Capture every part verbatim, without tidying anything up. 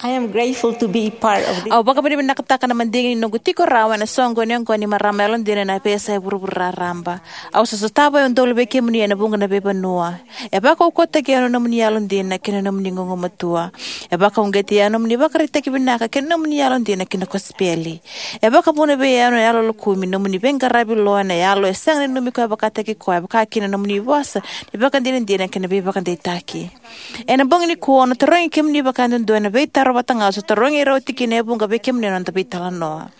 I am grateful to be part of this. Au vakavinavinakataka na madigi ni noqu tiko rawa ena soqoni oqo ni marama yalodina ena veiyasai vuravura raraba. Au sa sotava e udolu vei kemuni ena vuqa na veivanua. E vakaukauwataki au na nomuni yalodina kei na nomuni gugumatua. E vakauqeti au na nomuni ivakaraitaki vinaka kei na nomuni yalodina ki na kosipeli. E vakavuna vei au na yalo lokumi na nomuni veiqaravi lo ena yalo e sega ni nanumi koya vakataki koya, vaka kina na nomuni vosa ni vakadinadina kei na veivakadeitaki. Ena bogi nikua au na tarogi kemuni vakayadudua ena veitaro vata ga au sa tarogi ira oti kina e vuqa vei kemuni ena noda veitalanoa.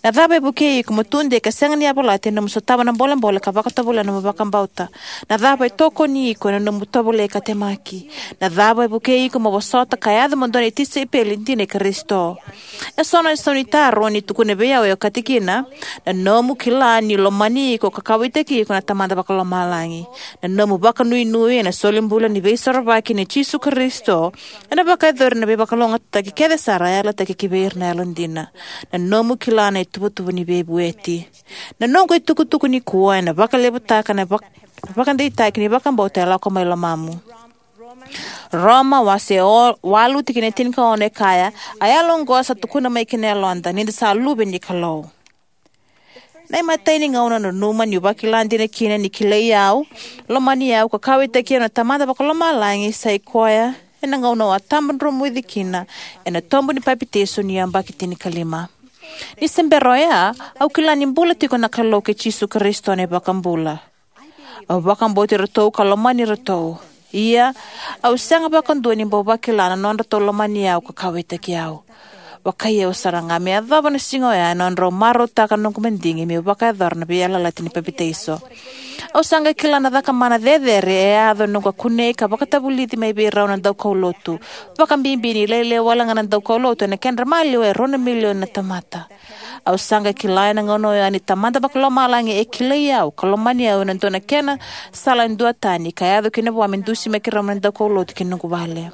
Na cava e vukei iko mo tudei ka sega ni yavalati ena nomu sotava na bolebole ka vakatovolea na nomu vakabauta? Na cava e tokoni iko ena nomu tovolei ka temaki? Na cava e vukei iko mo vosota ka yaco mo dua na tisaipeli dina i Karisito? Eso na isau ni taro ni tukuna vei au e okati kina: na nomu kila ni lomani iko ka kauwaitaki iko na Tamada Vakalomalagi. Na nomu vakanuinui ena solibula ni Veisorovaki nei Jisu Karisito ena vakayacori na veivakalougatataki kece sara e yalataki ki vei ira na yalodina. Na nomu kila na ituvatuva ni veivueti. Na noqu itukutuku nikua ena vakalevutaka na vak-, vakadeitaki ni vakabauta e lako mai lomamu. Roma wase o-, walu tikina e tinikaono e kaya: A yalo oqo sa tukuna mai ki na yaloda ni da sa luve ni Kalou. Na imatai ni gauna au nanuma niu vakila dina kina ni kilai au, lomani au ka kauwaitaki au na Tamada Vakalomalagi sa i koya ena gauna au a tabadromuci kina ena tobu ni papitaiso ni yabaki tinikalima. Ni se bera oya, au kila ni bula tiko na Kalou kei Jisu Karisito na iVakabula. Au vakabauti iratou ka lomani iratou. Ia, au sega vakadua ni bau vakila na nodratou lomani au ka kauwaitaki au. Vakaiyau sara ga me yacova na siga oya ena nodrau marautaka na noqu madigi meu vakayacora na veiyalayalati ni papitaiso. Au sa qai kila na cakamana cecere e yaco ena noqu a kunei ka vakatavulici mai vei rau na daukaulotu, vakabibi ni lailai wale ga na daukaulotu ena kedra maliwa e rua na milioni na tamata. Au sa qai kila ena gauna oya ni Tamada Vakalomalagi e kilai au ka lomani au ena dua na kena sala e duatani ka yaco kina vua me dusimaki rau mai na daukaulotu ki na noqu vale.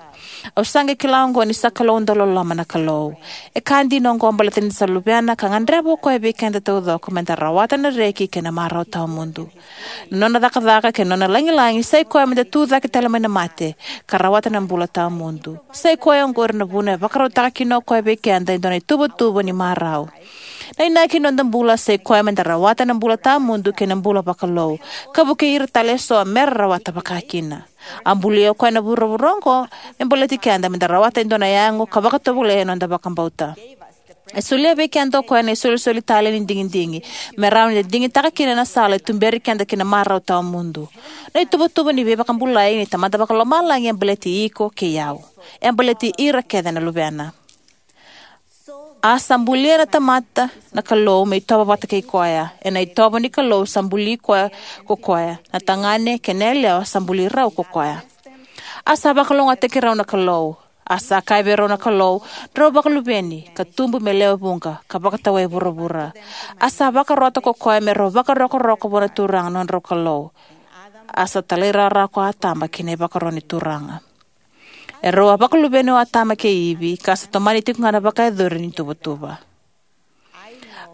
Au sa qai kila oqo ni sa Kalou dauloloma na Kalou. E ka dina oqo baleta ni da sa luvena ka gadreva o koya vei keda taucoko me da rawata na reki kei na marau tawamudu. Na nona cakacaka kei na nona lagilagi sa i koya me da tucake tale mai na mate ka rawata na bula tawamudu. Sa i koya oqori na vuna e vakarautaka kina o koya vei keda e dua na ituvatuva ni marau. Na inaki ni noda bula sa i koya me da rawata na bula tawamudu kei na bula vakalou, ka vukei ira tale eso me ra rawata vakakina. A bulia o koya na vuravura oqo me baleti keda me da rawata e dua na yago ka vakatovolei ena noda vakabauta. E solia vei keda o koya na isolisoli talei ni digidigi me rawa ni da digitaka kina na sala e tuberi keda ki na marau tawamudu. Na ituvatuva ni veivakabulai ni Tamada Vakalomalagi e baleti iko kei au. E baleti ira kece na luvena. A sa bulia na tamata na Kalou me itovo vata kei koya. Ena itovo ni Kalou sa buli koya ko koya. Na tagane kei na yalewa sa buli rau ko koya. A sa vakalougatataki rau na Kalou. A sa kaya vei rau na Kalou: Drau vakaluveni, ka tubu me lewe vuqa, ka vakatawai vuravura. A sa vakarota ko koya me rau vakarokoroko vua na Turaga na nodrau Kalou. A sa talairawarawa ko Atama ki na ivakaro ni Turaga. E rau a vakaluveni o Atama kei Ivi, ka sa tomani tiko ga na vakayacori ni tuvatuva.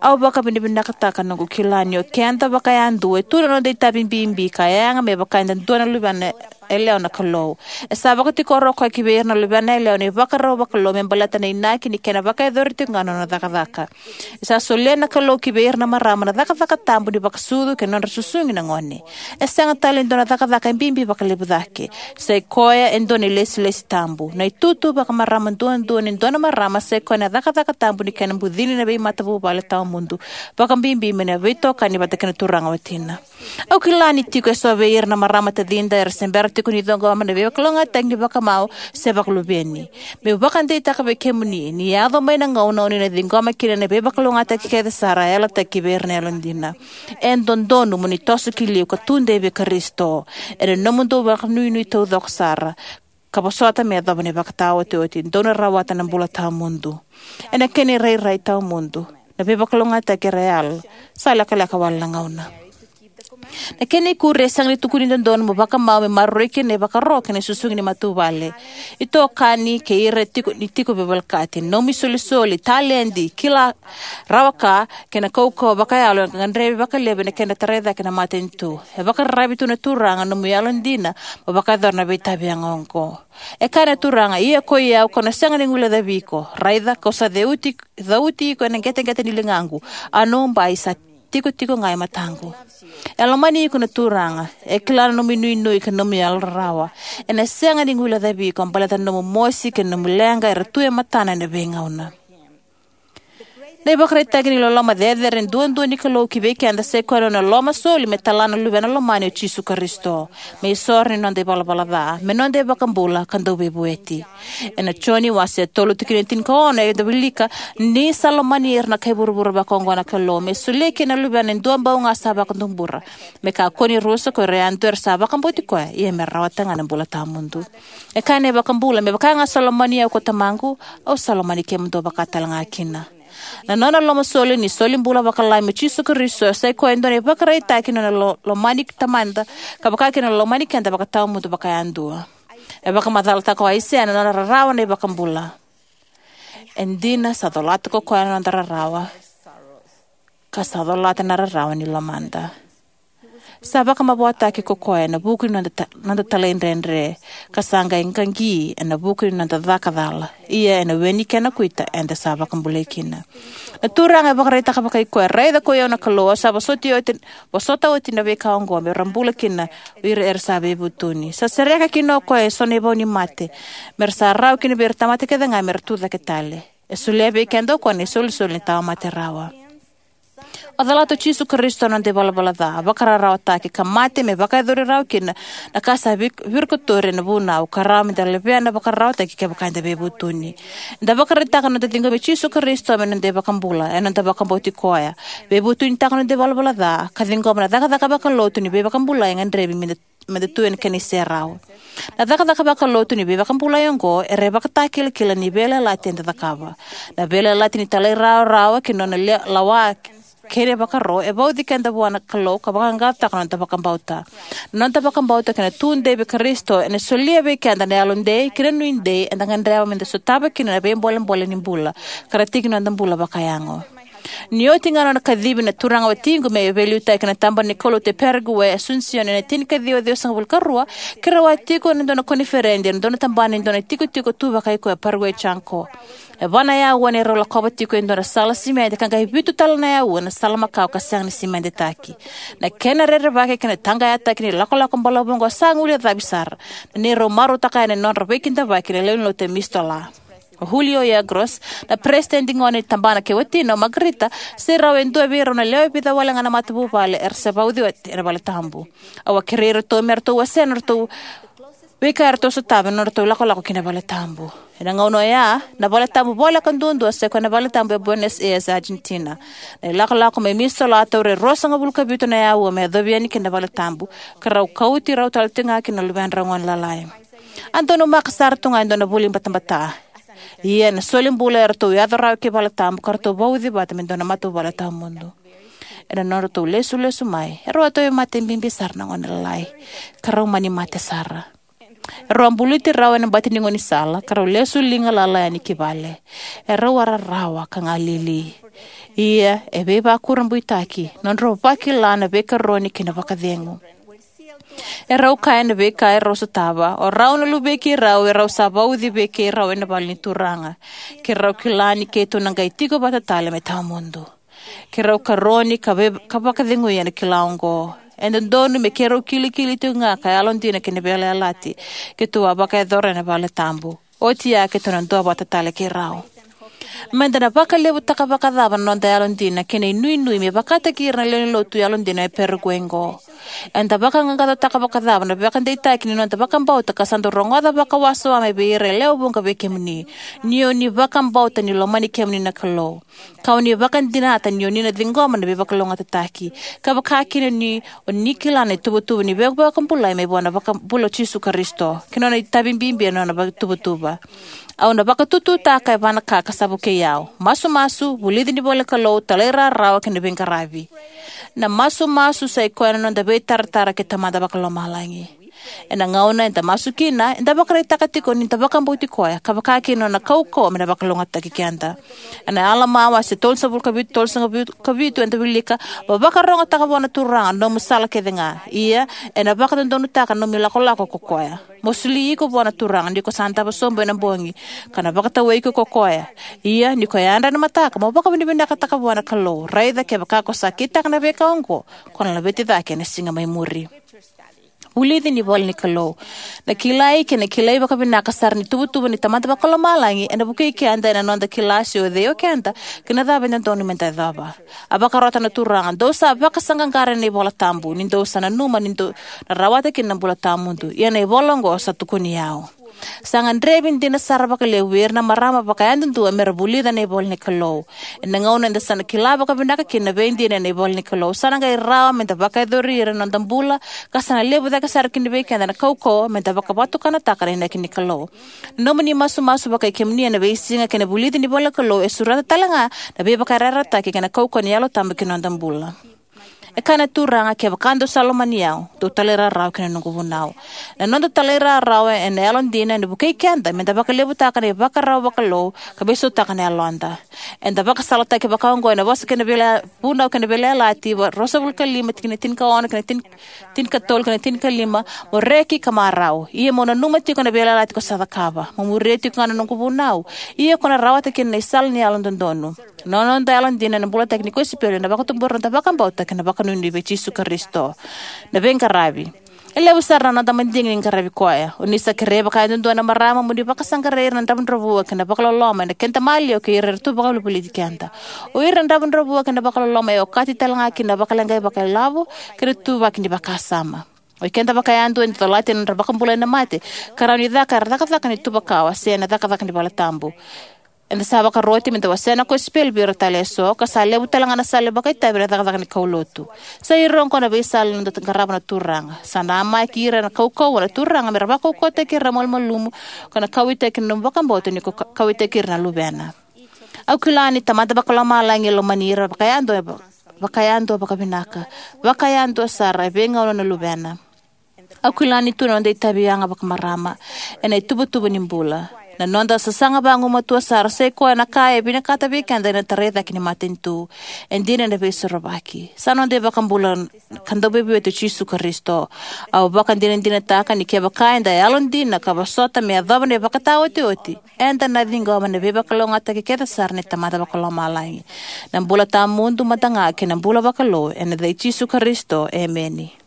Au vakavinavinakataka noqu kila ni o keda vakayadua e tu na noda itavi bibi ka yaga me vaka eda dua na luvena yalewa na Kalou. E sa vakatikora o koya ki vei ira na luvena yalewa na ivakarau vakalou me baleta na inaki ni kena vakayacori tiko ga na nona cakacaka. E sa solia na Kalou ki vei ira na marama na cakacaka tabu ni vakasucu kei na nodra susugi na gone. E sega tale ni dua na cakacaka e bibi vakalevu cake. Sa i koya e dua na ilesilesi tabu, na itutu vakamarama duadua ni dua na marama sa i koya na cakacaka tabu ni kena bucini na veimatavuvale tawamudu, vakabibi mai na veitokani vata kei na turaga watina. Au kila ni tiko eso vei ira na marama tacida era se bera tiko ni ciqoma na veivakalougatataki ni vakamau se vakaluveni. Meu vakadeitaka vei kemuni ni yaco mai na gauna o ni na ciqoma kina na veivakalougatataki kece sara e yalataki vei ira na yalodina. E dodonu mo ni toso ki liu ka tudei vei Karisito ena nomudou vakanuinui taucoko sara, ka vosota me yacova na ivakataotioti, dou na rawata na bula tawamudu. Ena kena irairai tawamudu, na veivakalougatataki era yala, sa lekaleka wale na gauna. Na kena ikuri, e sega ni tukuni dodonu mo vakamau me maroroi kina na ivakaro kei na susugi ni matavuvale, itokani kei ira tiko ni tiko veivolekati. Nomu isolisoli, taledi, kila, rawa ka, kei na kaukauwa vakayalo e gadrevi vakalevu ena kena tarai cake na matanitu. E vakararavi tu na Turaga nomu yalodina mo vakayacora na veitavi yaga oqo. E kaya na Turaga, ia koi au kau na sega ni guilecavi iko. Raica, kau sa ceuti, cauti iko ena qeteqete ni ligaqu, a nomu bai sa tikotiko ga e mataqu. E lomani iko na Turaga. E kila na nomu inuinui kei na nomu yalorarawa. Ena sega ni guilecavi iko baleta na nomu mosi kei na nomu leqa era tu e matana ena veigauna. Na ivakaraitaki ni loloma cecere duadua ni Kalou ki vei keda sai koya na nona lomasoli me tala na Luvena lomani o Jisu Karisito me isoro ni noda ivalavala ca, me noda iVakabula ka Dauveivueti. Ena Joni wase tolu tikina e tinikaono, eda wilika: Ni sa lomani ira na kai vuravura vakaoqo na Kalou, me solia kina na Luvena e duabau ga sa vakatubura, me kakua ni rusa ko ira yadua era sa vakabauti koya, ia me rawata ga na bula tawamudu. E kaya na iVakabula, me vaka ga sa lomani au ko Tamaqu, au sa lomani kemudou vaka talega kina. Na nona lomasoli ni solibula vakalomalagi o Jisu Karisito e sai koya e dua na ivakaraitaki ni nona lo-, lomani Tamada, ka vaka kina na lomani keda vakatawamudu vakayadua. E vakamacalataka o Aisea na nona rarawa na iVakabula: E dina, sa colata ko koya na noda rarawa, ka sa colata na rarawa ni lomada. Sa vakamavoataki ko koya ena vuku ni noda ta-, noda talaidredre, ka sa qai qaqi ena vuku ni noda caka cala. Ia ena we ni kena kuita eda sa vakabulai kina. Na Turaga e vakaraitaka vakai koya: Raica, koi au na Kalou, au sa vosoti oti, vosota oti na veika oqo me ra bula kina o ira era sa veivutuni. Sa sereka kina o koya eso na ivau ni mate, me ra sa rawa kina vei ira na tamata kece ga me ra tucake tale. E solia vei keda o koya na isolisoli ni tawamate rawa. A colata o Jisu Karisito na noda ivalavala ca, a vakararawataki ka mate me vakayacori rawa kina na ka sa vik-, virikotori ena vunau, ka rawa meda levea na vakararawataki kevaka eda veivutuni. Eda vakaraitaka na noda ciqomi Jisu Karisito me noda iVakabula ena noda vakabauti koya, veivutunitaka na noda ivalavala ca, ka ciqoma na cakacaka vakalotu ni veivakabulai e gadrevi meda meda tu ena kena iserau. Na cakacaka vakalotu ni veivakabulai oqo era ivakatakilakila ni veiyalayalati eda cakava. Na veiyalayalati ni talairawarawa kei na nona le-, lawa kei na ivakaro e vauci keda vua na Kalou ka vaqaqacotaka na noda vakabauta. Na noda vakabauta kei na tudei vei Karisito ena solia vei keda na yalodei kei na nuidei eda gadreva meda sotava kina na veibolebole ni bula ka ra tiki ni noda bula vakayago. Ni oti ga na nona kacivi na turaga watiqu me veiliutaki ena Tabana ni Kaulotu e Paraguay, Asuncion, ena tinikaciwa ciwasagavulu ka rua, keirau a tiko ena dua na koniferedi ena dua na tabana ni dua na itikotiko tu vakai koya e Paraguay, Chaco. E va na auwa neirau lakova tiko e dua na sala simede ka qai vitu tale na auwa ena sala makawa ka sega ni simedetaki. Na kena rerevaki kei na taqayataki ni lakolako balavu oqo sa guilecavi sara na neirau marautaka yani na nodra veikidavaki na lewenilotu e Mistola. O Julio Yegros, na peresitedi gone ni tabana, kei watina o Margarita, sai rau e dua vei rau na lewe vica wale ga na matavuvale era sa vauci oti ena valetabu. Au a kerei iratou me ratou wasea na nodratou veika eratou sotava ena nodratou ilakolako ki na valetabu. Ena gauna oya, na valetabu voleka duadua sai koya na valetabu e Buenos Aires, Argentina. Na ilakolako mai Mistola a taura e ruasagavulu ka vitu na auwa me yacovi yani ki na valetabu, ka rau kauti rau tale tiko ga kina na luvedrau gone lalai. A donumaka sara tu ga e dua na vuli batabata. Ia ena soli bula eratou yaco rawa ki valetabu ka ratou vauci vata me dua na matavuvale tawamudu. Ena nodratou lesulesu mai, erau a tauvimate bibi sara na gone lalai, ka rau mani mate sara. Erau a buluti rau ena bati ni gaunisala ka rau lesu liga lala yani ki vale. Erau a rarawa ka galili. Ia e veivakurabuitaki na nodrau vakila na veikaroni kei na vakacegu. Erau kaya na veika erau sotava, o rau na luvei keirau erau sa vauci vei keirau ena vale ni Turaga. Keirau kila ni keitou na qai tiko vata tale me tawamudu. Keirau karoni ka vei-, ka vakacegui ena kila oqo. E dodonu me keirau kilikili tiko ga ka yalodina ki na veiyalayalati keitou a vakayacora ena valetabu. Oti ya keitou na duavata tale kei rau. Meda na vakalevutaka vakacava na noda yalodina kei na inuinui me vakataki ira na lewenilotu yalodina e Paraguay oqo? Eda vakaqaqacotaka vakacava na veivakadeitaki ni noda vakabauta ka sa dau rogoca vakawasoma mai vei ira e lewe vuqa vei kemuni, ni o ni vakabauta ni lomani kemuni na Kalou, ka o ni vakadinata ni o ni na ciqoma na veivakalougatataki, ka vaka kina ni o ni kila na ituvatuva ni veivakabulai mai vua na iVakabula o Jisu Karisito kei na nona itavi bibi ena nona ituvatuva. Au na vakatututaka e va na ka ka sa vukei au: masumasu, vulici ni ivolanikalou, talairawarawa kei na veiqaravi. Na masumasu sa ikoya na noda veitaratara kei Tamada Vakalomalagi. Ena gauna eda masu kina, eda vakaraitaka tiko ni da vakabauti Koya ka vakakina na Nona kaukauwa me na vakalougatataki keda. Ena Alama wase tolusagavulu ka vitu, tolusagavulu ka vitu eda wilika: Mo vakarogotaka vua na Turaga na nomu sala kecega, ia ena vakadodonutaka na nomu ilakolako ko koya. Mo soli iko vua na Turaga ni ko sa davo sobu ena bogi, ka na vakatawai iko ko koya. Ia ni ko yadra ena mataka, mo vakavinavinakataka vua na Kalou; raica kevaka ko sa kitaka na veika oqo, ko na laveti cake ena siga mai muri. Vulici ni ivolanikalou. Na kilai kei na kilai vakavinaka sara ni ituvatuva ni Tamada Vakalomalagi ena vukei keda ena noda kila se o cei o keda kei na cava e dodonu me da yacova. A vakarota na Turaga: Dou sa vakasaqaqara ena ivolanikalou, ni dou sa nanuma ni dou na rawata kina na bula tawamudu. Ia na ivola oqo sa tukuni au. Sa gadrevi dina sara vakalevu vei ira na marama vakayadudua me ra vulica na ivolanikalou. Ena gauna eda sa na kila vakavinaka kina na veidina ena ivolanikalou, sa na qai rawa me da vakayacori ira ena noda bula, ka sa na levu cake sara kina vei keda na kaukauwa me da vakavatukanataka na inaki ni Kalou. Na nomuni masumasu vakai kemuni ena veisiga kei na vulici ni ivolanikalou e sureta talega na veivakayarayarataki kei na kaukauwa ni Yalo Tabu ki na noda bula. E kaya na Turaga: Kevaka dou sa lomani au, dou talairawarawa ki na noqu vunau. Na noda talairawarawa ena yalodina ena vukei keda me da vakalevutaka na ivakarau vakalou ka veisautaka na yaloda. Eda vakasalataki vakaoqo ena Vosa kei na Veiya-, Vunau kei na Veiyalayalati, va-, ruasagavulu ka lima, tikina tinikaono kei na tin-, tinikatolu kei na tinikalima: Mo reki ka marau, ia mo nanuma tiko na veiyalayalati ko sa cakava. Mo muria tiko ga na noqu vunau, ia ko na rawata kina na isala ni yalododonu. Na noda yalodina ena bulataki ni kosipeli ena vakatubura na noda vakabauta kei na vakanuinui vei Jisu Karisito. Na veiqaravi. E levu sara na noda madigi ni qaravi Koya. O ni sa kerei vakayadudua na marama mo ni vakasaqarai ira na dravudravua kei na vakaloloma ena keda maliwa kei ira era tu vakavolivoliti keda. O ira na dravudravua kei na vakaloloma e okati talega kina na vakaleqai vakailavo kei na ituvaki ni vakasama. O ikeda vakayadua eda colata na nodra vakabulai na mate ka rawa ni caka ena cakacaka ni tuva kawa se ena cakacaka ni valetabu. Eda sa vakaroti me da wasea na kosipeli vei ira tale eso, ka sa levu talega na sala ni vakaitavi ena cakacaka ni kaulotu. Sa ira oqo na veisala ni noda qarava na Turaga. Sa namaki ira ena kaukauwa na Turaga me ra vakaukauwataki ira na malumalumu, ka na kauwaitaki na nomu vakabauta ni ko ka-, kauwaitaki ira na luvena. Au kila ni Tamada Vakalomalagi e lomani ira vakayadua, vakayadua vakavinaka, vakayadua sara e veigauna na luvena. Au kila ni tu na noda itavi yaga vakamarama ena ituvatuva ni bula. Na noda sasaga vagumatua sara sa ikoya na ka e vinakata vei keda ena tarai cake ni matanitu. E dina ena Veisorovaki. Sa noda iVakabula ka Dauveivueti o Jisu Karisito. Au vakadinadinataka ni kevaka eda yalodina ka vosota me yacova na ivakataotioti, eda na ciqoma na veivakalougatataki kece sara ni Tamada Vakalomalagi. Na bula tawamudu mada ga kei na bula vakalou, ena yaca i Jisu Karisito, emeni.